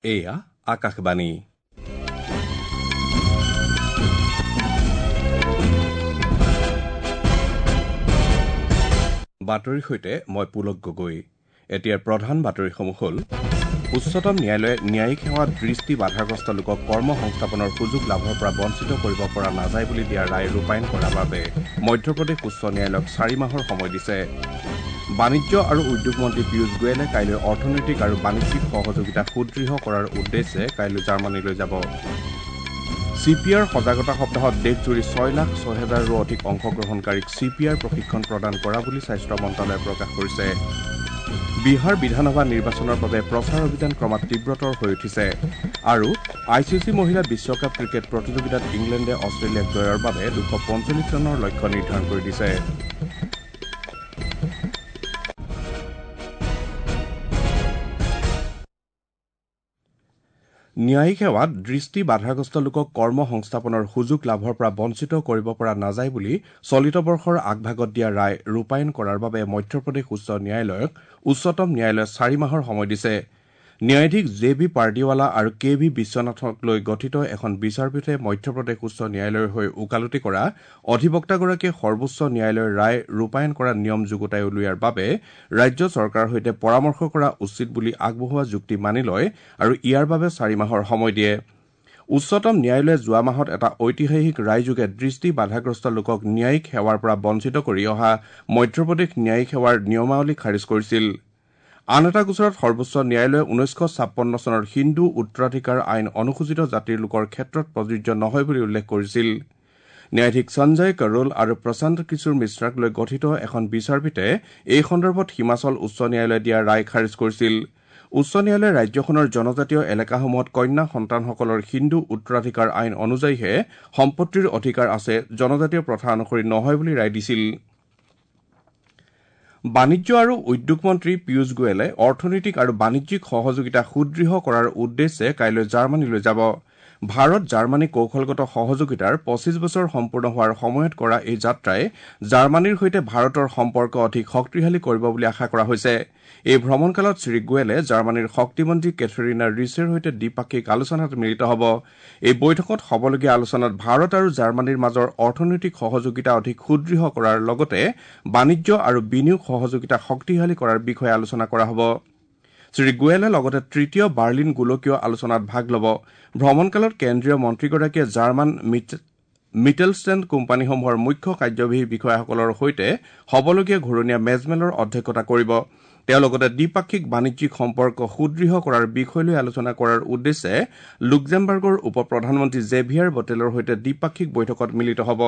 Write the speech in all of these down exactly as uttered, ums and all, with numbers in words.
এয়া আকাশবাণী। বাতৰিৰ সৈতে মই পুলক গগৈ। এতিয়াৰ প্ৰধান বাতৰিসমূহ হ'ল: উচ্চতম ন্যায়ালয়ে ন্যায়িক সেৱাত দৃষ্টি বাধাগ্ৰস্ত লোকক কৰ্ম সংস্থাপনৰ সুযোগ লাভৰ পৰা বঞ্চিত কৰিব পৰা নাযায় বুলি দিয়া ৰায় ৰূপায়ণ কৰাৰ বাবে মধ্যপ্ৰদেশ উচ্চ ন্যায়ালয়ক চাৰি মাহৰ সময় দিছে। বাণিজ্য আৰু উদ্যোগ মন্ত্ৰী পীয়ুষ গোৱেলে কাইলৈ অৰ্থনৈতিক আৰু বাণিজ্যিক সহযোগিতা সুদৃঢ় কৰাৰ উদ্দেশ্যে কাইলৈ জাৰ্মানীলৈ যাব। চি পি আৰ সজাগতা সপ্তাহত দেশজুৰি ছয় লাখ ছয় হাজাৰৰো অধিক অংশগ্ৰহণকাৰীক চি পি আৰ প্ৰশিক্ষণ প্ৰদান কৰা বুলি স্বাস্থ্য মন্ত্ৰালয়ে প্ৰকাশ কৰিছে। বিহাৰ বিধানসভা নিৰ্বাচনৰ বাবে প্ৰচাৰ অভিযান ক্ৰমাৎ তীব্ৰতৰ হৈ উঠিছে। আৰু I C C মহিলা বিশ্বকাপ ক্ৰিকেট প্ৰতিযোগিতাত ইংলেণ্ডে অষ্ট্ৰেলিয়াক জয়ৰ বাবে দুশ পঞ্চল্লিছ ৰানৰ লক্ষ্য নিৰ্ধাৰণ কৰি দিছে। ন্যায়িক সেৱাত দৃষ্টি বাধাগ্ৰস্ত লোকক কৰ্ম সংস্থাপনৰ সুযোগ লাভৰ পৰা বঞ্চিত কৰিব পৰা নাযায় বুলি চলিত বৰ্ষৰ আগভাগত দিয়া ৰায় ৰূপায়ণ কৰাৰ বাবে মধ্যপ্ৰদেশ উচ্চ ন্যায়ালয়ক উচ্চতম ন্যায়ালয়ে চাৰি মাহৰ সময় দিছে। ন্যায়াধীশ জে বি পাৰ্ডিৱালা আৰু কে ভি বিশ্বনাথক লৈ গঠিত এখন বিচাৰপীঠে মধ্যপ্ৰদেশ উচ্চ ন্যায়ালয়ৰ হৈ ওকালতি কৰা অধিবক্তাগৰাকীয়ে সৰ্বোচ্চ ন্যায়ালয়ৰ ৰায় ৰূপায়ণ কৰা নিয়ম যুগুতাই উলিওৱাৰ বাবে ৰাজ্য চৰকাৰৰ সৈতে পৰামৰ্শ কৰা উচিত বুলি আগবঢ়োৱা যুক্তি মানি লয় আৰু ইয়াৰ বাবে চাৰি মাহৰ সময় দিয়ে। উচ্চতম ন্যায়ালয়ে যোৱা মাহত এটা ঐতিহাসিক ৰায়যোগে দৃষ্টি বাধাগ্ৰস্ত লোকক ন্যায়িক সেৱাৰ পৰা বঞ্চিত কৰি অহা মধ্যপ্ৰদেশ ন্যায়িক সেৱাৰ নিয়মাৱলী খাৰিজ কৰিছিল। আন এটা গোচৰত সৰ্বোচ্চ ন্যায়ালয়ে ঊনৈছশ ছাপন্ন চনৰ হিন্দু উত্তৰাধিকাৰ আইন অনুসূচিত জাতিৰ লোকৰ ক্ষেত্ৰত প্ৰযোজ্য নহয় বুলি উল্লেখ কৰিছিল। ন্যায়াধীশ সঞ্জয় কৰোল আৰু প্ৰশান্ত কিশোৰ মিশ্ৰাক লৈ গঠিত এখন বিচাৰপীঠে এই সন্দৰ্ভত হিমাচল উচ্চ ন্যায়ালয়ে দিয়া ৰায় খাৰিজ কৰিছিল। উচ্চ ন্যায়ালয়ে ৰাজ্যখনৰ জনজাতীয় এলেকাসমূহত কন্যা সন্তানসকলৰ হিন্দু উত্তৰাধিকাৰ আইন অনুযায়ীহে সম্পত্তিৰ অধিকাৰ আছে, জনজাতীয় প্ৰথা অনুসৰি নহয় বুলি ৰায় দিছিল। বাণিজ্য আৰু উদ্যোগ মন্ত্ৰী পীয়ুষ গোৱেলে অৰ্থনৈতিক আৰু বাণিজ্যিক সহযোগিতা সুদৃঢ় কৰাৰ উদ্দেশ্যে কাইলৈ জাৰ্মানীলৈ যাব। ভাৰত জাৰ্মানী কৌশলগত সহযোগিতাৰ পঁচিছ বছৰ সম্পূৰ্ণ হোৱাৰ সময়ত কৰা এই যাত্ৰাই জাৰ্মানীৰ সৈতে ভাৰতৰ সম্পৰ্ক অধিক শক্তিশালী কৰিব বুলি আশা কৰা হৈছে। এই ভ্ৰমণকালত শ্ৰীগোৱেলে জাৰ্মানীৰ শক্তিমন্ত্ৰী কেথৰিনা ৰিছেৰ সৈতে দ্বিপাক্ষিক আলোচনাত মিলিত হ'ব। এই বৈঠকত হ'বলগীয়া আলোচনাত ভাৰত আৰু জাৰ্মানীৰ মাজৰ অৰ্থনৈতিক সহযোগিতা অধিক সুদৃঢ় কৰাৰ লগতে বাণিজ্য আৰু বিনিয়োগ সহযোগিতা শক্তিশালী কৰাৰ বিষয়ে আলোচনা কৰা হ'ব। শ্ৰীগোৱেলে লগতে তৃতীয় বাৰ্লিন গোলকীয় আলোচনাত ভাগ ল'ব। ভ্ৰমণকালত কেন্দ্ৰীয় মন্ত্ৰীগৰাকীয়ে জাৰ্মান মিটেলষ্টেণ্ড কোম্পানীসমূহৰ মুখ্য কাৰ্যবাহী বিষয়াসকলৰ সৈতে হ'বলগীয়া ঘূৰণীয়া মেজমেলৰ অধ্যক্ষতা কৰিব। তেওঁ লগতে দ্বিপাক্ষিক বাণিজ্যিক সম্পৰ্ক সুদৃঢ় কৰাৰ বিষয় লৈ আলোচনা কৰাৰ উদ্দেশ্যে লুক্সেমবাৰ্গৰ উপ প্ৰধানমন্ত্ৰী জেভিয়াৰ বটেলৰ সৈতে দ্বিপাক্ষিক বৈঠকত মিলিত হ'ব।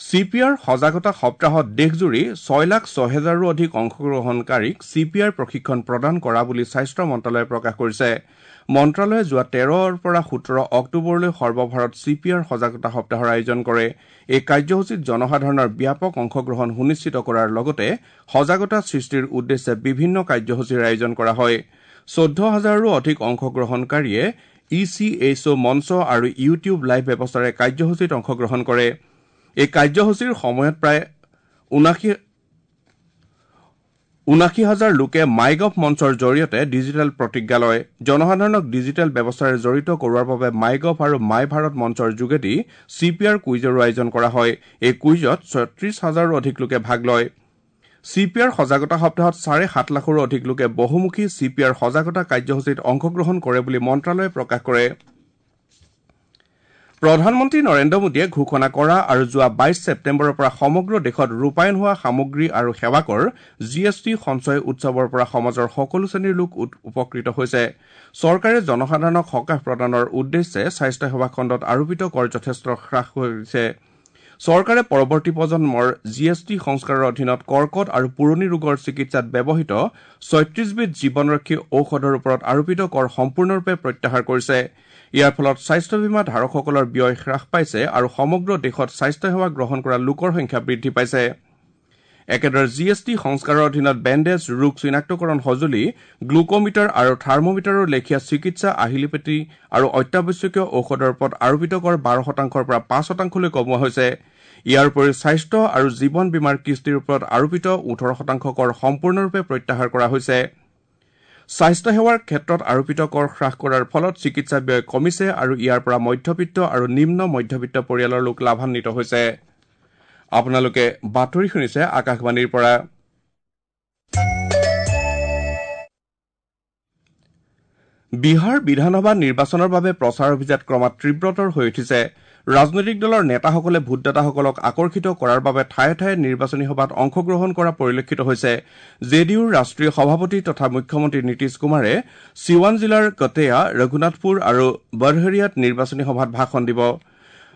চি পি আৰ সজাগতা সপ্তাহত দেশজুৰি ছয় লাখ ছয় হাজাৰৰো অধিক অংশগ্ৰহণকাৰীক চি পি আৰ প্ৰশিক্ষণ প্ৰদান কৰা বুলি স্বাস্থ্য মন্ত্ৰালয়ে প্ৰকাশ কৰিছে। মন্ত্ৰালয়ে যোৱা তেৰৰ পৰা সোতৰ অক্টোবৰলৈ সৰ্বভাৰত চি পি আৰ সজাগতা সপ্তাহৰ আয়োজন কৰে। এই কাৰ্যসূচীত জনসাধাৰণৰ ব্যাপক অংশগ্ৰহণ সুনিশ্চিত কৰাৰ লগতে সজাগতা সৃষ্টিৰ উদ্দেশ্যে বিভিন্ন কাৰ্যসূচীৰ আয়োজন কৰা হয়। চৈধ্য হাজাৰৰো অধিক অংশগ্ৰহণকাৰীয়ে ই চি এইচ অ' মঞ্চ আৰু ইউটিউব লাইভ ব্যৱস্থাৰে কাৰ্যসূচীত অংশগ্ৰহণ কৰে। এই কাৰ্যসূচীৰ সময়ত প্ৰায় ঊনাশী হাজাৰ লোকে মাইগভ মঞ্চৰ জৰিয়তে ডিজিটেল প্ৰতিজ্ঞা লয়। জনসাধাৰণক ডিজিটেল ব্যৱস্থাৰে জড়িত কৰোৱাৰ বাবে মাইগভ আৰু মাই ভাৰত মঞ্চৰ যোগেদি চি পি আৰ কুইজৰো আয়োজন কৰা হয়। এই কুইজত ছয়ত্ৰিশ হাজাৰৰো অধিক লোকে ভাগ লয়। চি পি আৰ সজাগতা সপ্তাহত চাৰে সাত লাখৰো অধিক লোকে বহুমুখী চি পি আৰ সজাগতা কাৰ্যসূচীত অংশগ্ৰহণ কৰে বুলি মন্ত্ৰালয়ে প্ৰকাশ কৰে। প্ৰধানমন্ত্ৰী নৰেন্দ্ৰ মোদীয়ে ঘোষণা কৰা আৰু যোৱা বাইশ ছেপ্টেম্বৰৰ পৰা সমগ্ৰ দেশত ৰূপায়ণ হোৱা সামগ্ৰী আৰু সেৱাকৰ জি এছ টি সঞ্চয় উৎসৱৰ পৰা সমাজৰ সকলো শ্ৰেণীৰ লোক উপকৃত হৈছে। চৰকাৰে জনসাধাৰণক সকাহ প্ৰদানৰ উদ্দেশ্যে স্বাস্থ্যসেৱা খণ্ডত আৰোপিত কৰ যথেষ্ট হ্ৰাস কৰিছে। চৰকাৰে পৰৱৰ্তী প্ৰজন্মৰ জি এছ টি সংস্কাৰৰ অধীনত কৰ্কট আৰু পুৰণি ৰোগৰ চিকিৎসাত ব্যৱহৃত ছয়ত্ৰিশবিধ জীৱনৰক্ষী ঔষধৰ ওপৰত আৰোপিত কৰ সম্পূৰ্ণৰূপে প্ৰত্যাহাৰ কৰিছে। ইয়াৰ ফলত স্বাস্থ্য বীমা ধাৰকসকলৰ ব্যয় হ্ৰাস পাইছে আৰু সমগ্ৰ দেশত স্বাস্থ্যসেৱা গ্ৰহণ কৰা লোকৰ সংখ্যা বৃদ্ধি পাইছে। একেদৰে জি এছ টি সংস্কাৰৰ অধীনত বেণ্ডেজ, ৰোগ চিনাক্তকৰণ সঁজুলি, গ্লুকোমিটাৰ আৰু থাৰ্মোমিটাৰৰ লেখীয়া চিকিৎসা আহিলাপাতি আৰু অত্যাৱশ্যকীয় ঔষধৰ ওপৰত আৰোপিত কৰ বাৰ শতাংশৰ পৰা পাঁচ শতাংশলৈ কমোৱা হৈছে। ইয়াৰ উপৰি স্বাস্থ্য আৰু জীৱন বীমাৰ কিস্তিৰ ওপৰত আৰোপিত ওঠৰ শতাংশ কৰ সম্পূৰ্ণৰূপে প্ৰত্যাহাৰ কৰা হৈছে। স্বাস্থ্য সেৱাৰ ক্ষেত্ৰত আৰোপিত কৰ হ্ৰাস কৰাৰ ফলত চিকিৎসা ব্যয় কমিছে আৰু ইয়াৰ পৰা মধ্যবিত্ত আৰু নিম্ন মধ্যবিত্ত পৰিয়ালৰ লোক লাভান্বিত হৈছে। আপোনালোকে বাতৰি শুনিছে আকাশবাণীৰ পৰা। বিহাৰ বিধানসভা নিৰ্বাচনৰ বাবে প্ৰচাৰ অভিযান ক্ৰমাৎ তীব্ৰতৰ হৈ উঠিছে। ৰাজনৈতিক দলৰ নেতাসকলে ভোটদাতাসকলক আকৰ্ষিত কৰাৰ বাবে ঠায়ে ঠায়ে নিৰ্বাচনী সভাত অংশগ্ৰহণ কৰা পৰিলক্ষিত হৈছে। জে ডি ইউৰ ৰাষ্ট্ৰীয় সভাপতি তথা মুখ্যমন্ত্ৰী নীতিশ কুমাৰে চিৱান জিলাৰ কটেয়া, ৰঘুনাথপুৰ আৰু বৰহৰিয়াত নিৰ্বাচনী সভাত ভাষণ দিব।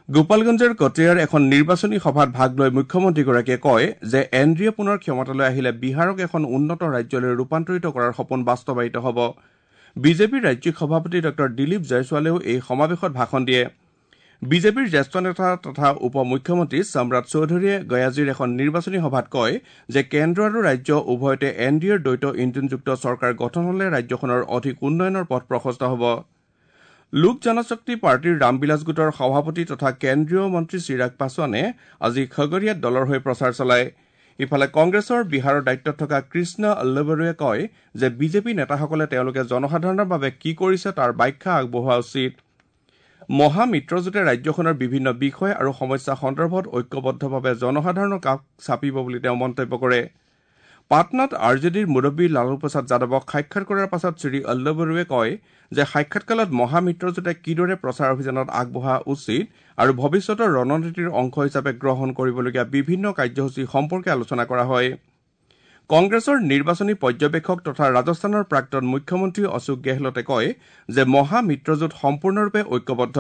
গোপালগঞ্জৰ কটেয়াৰ এখন নিৰ্বাচনী সভাত ভাগ লৈ মুখ্যমন্ত্ৰীগৰাকীয়ে কয় যে এন ডি এ পুনৰ ক্ষমতালৈ আহিলে বিহাৰক এখন উন্নত ৰাজ্যলৈ ৰূপান্তৰিত কৰাৰ সপোন বাস্তৱায়িত হ'ব। বিজেপিৰ ৰাজ্যিক সভাপতি ডঃ দিলীপ জয়ছোৱালেও এই সমাৱেশত ভাষণ দিয়ে। বিজেপিৰ জ্যেষ্ঠ নেতা তথা উপ মুখ্যমন্ত্ৰী সম্ৰাট চৌধুৰীয়ে গয়াজীৰ এখন নিৰ্বাচনী সভাত কয় যে কেন্দ্ৰ আৰু ৰাজ্য উভয়তে এন ডি এৰ দ্বৈত ইঞ্জিনযুক্ত চৰকাৰ গঠন হলে ৰাজ্যখনৰ অধিক উন্নয়নৰ পথ প্ৰশস্ত হ'ব। লোক জনশক্তি পাৰ্টীৰ ৰামবিলাস গোটৰ সভাপতি তথা কেন্দ্ৰীয় মন্ত্ৰী চিৰাগ পাছোৱানে আজি খগৰিয়াত দলৰ হৈ প্ৰচাৰ চলায়। ইফালে কংগ্ৰেছৰ বিহাৰৰ দায়িত্বত থকা কৃষ্ণ আল্লবৰুৱে কয় যে বিজেপি নেতাসকলে তেওঁলোকে জনসাধাৰণৰ বাবে কি কৰিছে তাৰ ব্যাখ্যা আগবঢ়োৱা উচিত। মহামিত্ৰজোঁটে ৰাজ্যখনৰ বিভিন্ন বিষয় আৰু সমস্যা সন্দৰ্ভত ঐক্যবদ্ধভাৱে জনসাধাৰণৰ কাষ চাপিব বুলি তেওঁ মন্তব্য কৰে। পাটনাত আৰ জে ডিৰ মুৰব্বী লালু প্ৰসাদ যাদৱক সাক্ষাৎ কৰাৰ পাছত শ্ৰী আল্লবৰুৱে কয় যে সাক্ষাৎকালত মহামিত্ৰজোঁটে কিদৰে প্ৰচাৰ অভিযানত আগবঢ়া উচিত আৰু ভৱিষ্যতৰ ৰণনীতিৰ অংশ হিচাপে গ্ৰহণ কৰিবলগীয়া বিভিন্ন কাৰ্যসূচী সম্পৰ্কে আলোচনা কৰা হয়। কংগ্ৰেছৰ নিৰ্বাচনী পৰ্যবেক্ষক তথা ৰাজস্থানৰ প্ৰাক্তন মুখ্যমন্ত্ৰী অশোক গেহলটে কয় যে মহামিত্ৰজোঁট সম্পূৰ্ণৰূপে ঐক্যবদ্ধ।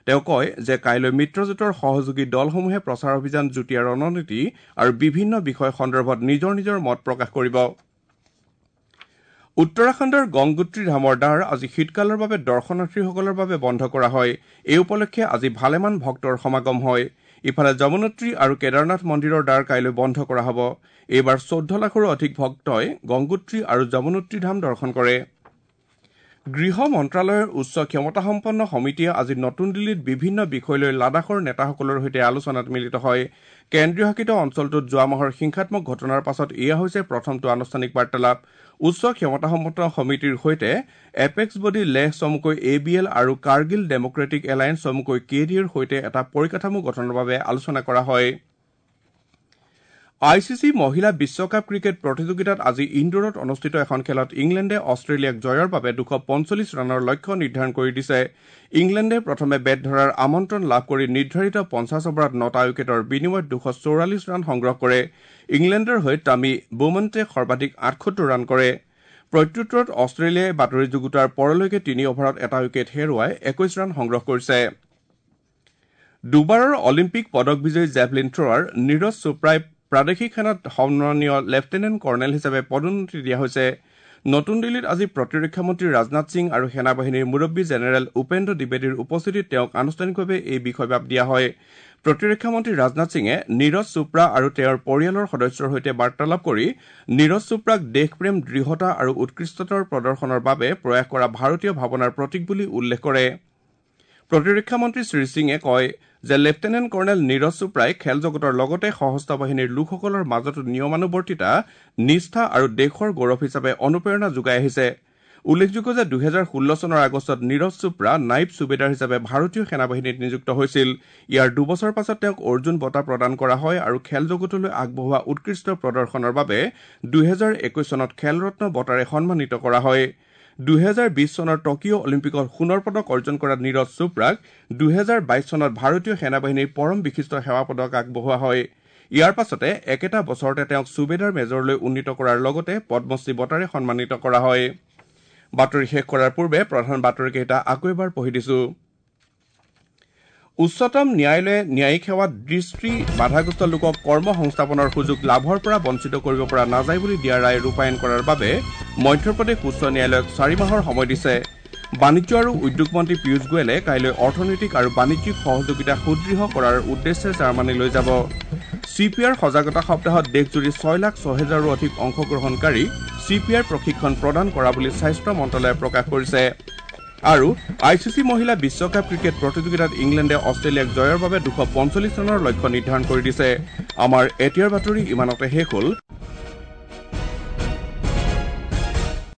তেওঁ কয় যে কাইলৈ মিত্ৰজোঁটৰ সহযোগী দলসমূহে প্ৰচাৰ অভিযান, যুটীয়া ৰণনীতি আৰু বিভিন্ন বিষয় সন্দৰ্ভত নিজৰ নিজৰ মত প্ৰকাশ কৰিব। উত্তৰাখণ্ডৰ গংগোত্ৰী ধামৰ দ্বাৰ আজি শীতকালৰ বাবে দৰ্শনাৰ্থীসকলৰ বাবে বন্ধ কৰা হয়। এই উপলক্ষে আজি ভালেমান ভক্তৰ সমাগম হয়। ইফালে যমুনোত্ৰী আৰু কেদাৰনাথ মন্দিৰৰ দ্বাৰ কাইলৈ বন্ধ কৰা হ'ব। এইবাৰ চৈধ্য লাখৰো অধিক ভক্তই গংগোত্ৰী আৰু যমুনোত্ৰী ধাম দৰ্শন কৰে। গৃহ মন্ত্ৰালয়ৰ উচ্চ ক্ষমতাসম্পন্ন সমিতিয়ে আজি নতুন দিল্লীত বিভিন্ন বিষয় লৈ লাডাখৰ নেতাসকলৰ সৈতে আলোচনাত মিলিত হয়। কেন্দ্ৰীয় শাসিত অঞ্চলটোত যোৱা মাহৰ হিংসাত্মক ঘটনাৰ পাছত এয়া হৈছে প্ৰথমটো আনুষ্ঠানিক বাৰ্তালাপ। উচ্চ ক্ষমতাসম্পন্ন সমিতিৰ সৈতে এপেক্স বডি লেহ চমুকৈ এ বি এল আৰু কাৰ্গিল ডেমক্ৰেটিক এলায়েন্স চমুকৈ কে ডি এৰ সৈতে এটা পৰিকাঠামো গঠনৰ বাবে আলোচনা কৰা হয়। I C C মহিলা বিশ্বকাপ ক্ৰিকেট প্ৰতিযোগিতাত আজি ইন্দোৰত অনুষ্ঠিত এখন খেলত ইংলেণ্ডে অষ্ট্ৰেলিয়াক জয়ৰ বাবে দুশ পঞ্চল্লিছ ৰানৰ লক্ষ্য নিৰ্ধাৰণ কৰি দিছে। ইংলেণ্ডে প্ৰথমে বেট ধৰাৰ আমন্ত্ৰণ লাভ কৰি নিৰ্ধাৰিত পঞ্চাছ অভাৰত নটা উইকেটৰ বিনিময়ত দুশ চৌৰাল্লিছ ৰান সংগ্ৰহ কৰে। ইংলেণ্ডৰ হৈ টামি বোমণ্টে সৰ্বাধিক আঠসত্তৰ ৰান কৰে। প্ৰত্যুত্তৰত অষ্ট্ৰেলিয়াই বাতৰি যুগুতাৰ পৰলৈকে তিনি অভাৰত এটা উইকেট হেৰুৱাই একৈশ ৰান সংগ্ৰহ কৰিছে। দুবাৰৰ অলিম্পিক পদক বিজয়ী জেভলিন থ্ৰ'ৱাৰ নীৰজ চোপ্ৰাই প্ৰাদেশিক সেনাত সন্মানীয় লেফটেনেণ্ট কৰ্ণেল হিচাপে পদোন্নতি দিয়া হৈছে। নতুন দিল্লীত আজি প্ৰতিৰক্ষা মন্ত্ৰী ৰাজনাথ সিং আৰু সেনাবাহিনীৰ মুৰব্বী জেনেৰেল উপেন্দ্ৰ দ্বিবেদীৰ উপস্থিতিত তেওঁক আনুষ্ঠানিকভাৱে এই বিষয়বাব দিয়া হয়। প্ৰতিৰক্ষা মন্ত্ৰী ৰাজনাথ সিঙে নীৰজ চোপ্ৰা আৰু তেওঁৰ পৰিয়ালৰ সদস্যৰ সৈতে বাৰ্তালাপ কৰি নীৰজ চোপ্ৰাক দেশপ্ৰেম, দৃঢ়তা আৰু উৎকৃষ্টতাৰ প্ৰদৰ্শনৰ বাবে প্ৰয়াস কৰা ভাৰতীয় ভাৱনাৰ প্ৰতীক বুলি উল্লেখ কৰে। প্ৰতিৰক্ষা মন্ত্ৰী শ্ৰী সিঙে কয় যে লেফটেনেণ্ট কৰ্ণেল নীৰজ চোপ্ৰাই খেল জগতৰ লগতে সশস্ত্ৰ বাহিনীৰ লোকসকলৰ মাজতো নিয়মানুৱৰ্তিতা, নিষ্ঠা আৰু দেশৰ গৌৰৱ হিচাপে অনুপ্ৰেৰণা যোগাই আহিছে। উল্লেখযোগ্য যে দুহেজাৰ ষোল্ল চনৰ আগষ্টত নীৰজ চোপ্ৰা নাইব চুবেদাৰ হিচাপে ভাৰতীয় সেনাবাহিনীত নিযুক্ত হৈছিল। ইয়াৰ দুবছৰ পাছত তেওঁক অৰ্জুন বঁটা প্ৰদান কৰা হয় আৰু খেল জগতলৈ আগবঢ়োৱা উৎকৃষ্ট প্ৰদৰ্শনৰ বাবে দুহেজাৰ একৈশ চনত খেলৰত্ন বঁটাৰে সন্মানিত কৰা হয়। দুহেজাৰ বিশ চনৰ টকিঅ' অলিম্পিকত সোণৰ পদক অৰ্জন কৰা নীৰজ চোপ্ৰাক দুহেজাৰ বাইশ চনত ভাৰতীয় সেনাবাহিনীৰ পৰম বিশিষ্ট সেৱা পদক আগবঢ়োৱা হয়। ইয়াৰ পাছতে একেটা বছৰতে তেওঁক চুবেদাৰ মেজৰলৈ উন্নীত কৰাৰ লগতে পদ্মশ্ৰী বঁটাৰে সন্মানিত কৰা হয়। বাতৰি শেষ কৰাৰ পূৰ্বে প্ৰধান বাতৰিকেইটা আকৌ এবাৰ পঢ়ি দিছো। উচ্চতম ন্যায়ালয়ে ন্যায়িক সেৱাত দৃষ্টি বাধাগ্ৰস্ত লোকক কৰ্ম সংস্থাপনৰ সুযোগ লাভৰ পৰা বঞ্চিত কৰিব পৰা নাযায় বুলি দিয়া ৰায় ৰূপায়ণ কৰাৰ বাবে মধ্যপ্ৰদেশ উচ্চ ন্যায়ালয়ক চাৰি মাহৰ সময় দিছে। বাণিজ্য আৰু উদ্যোগ মন্ত্ৰী পীয়ুষ গোৱেলে কাইলৈ অৰ্থনৈতিক আৰু বাণিজ্যিক সহযোগিতা সুদৃঢ় কৰাৰ উদ্দেশ্যে জাৰ্মানীলৈ যাব। চি পি আৰ সজাগতা সপ্তাহত দেশজুৰি ছয় লাখ ছহেজাৰো অধিক অংশগ্ৰহণকাৰী চি পি আৰ প্ৰশিক্ষণ প্ৰদান কৰা বুলি স্বাস্থ্য মন্ত্ৰালয়ে প্ৰকাশ কৰিছে। আৰু I C C মহিলা বিশ্বকাপ ক্ৰিকেট প্ৰতিযোগিতাত ইংলেণ্ডে অষ্ট্ৰেলিয়াক জয়ৰ বাবে দুশ পঞ্চল্লিছ ৰানৰ লক্ষ্য নিৰ্ধাৰণ কৰি দিছে। আমাৰ এতিয়াৰ বাতৰি ইমানতে শেষ হ'ল।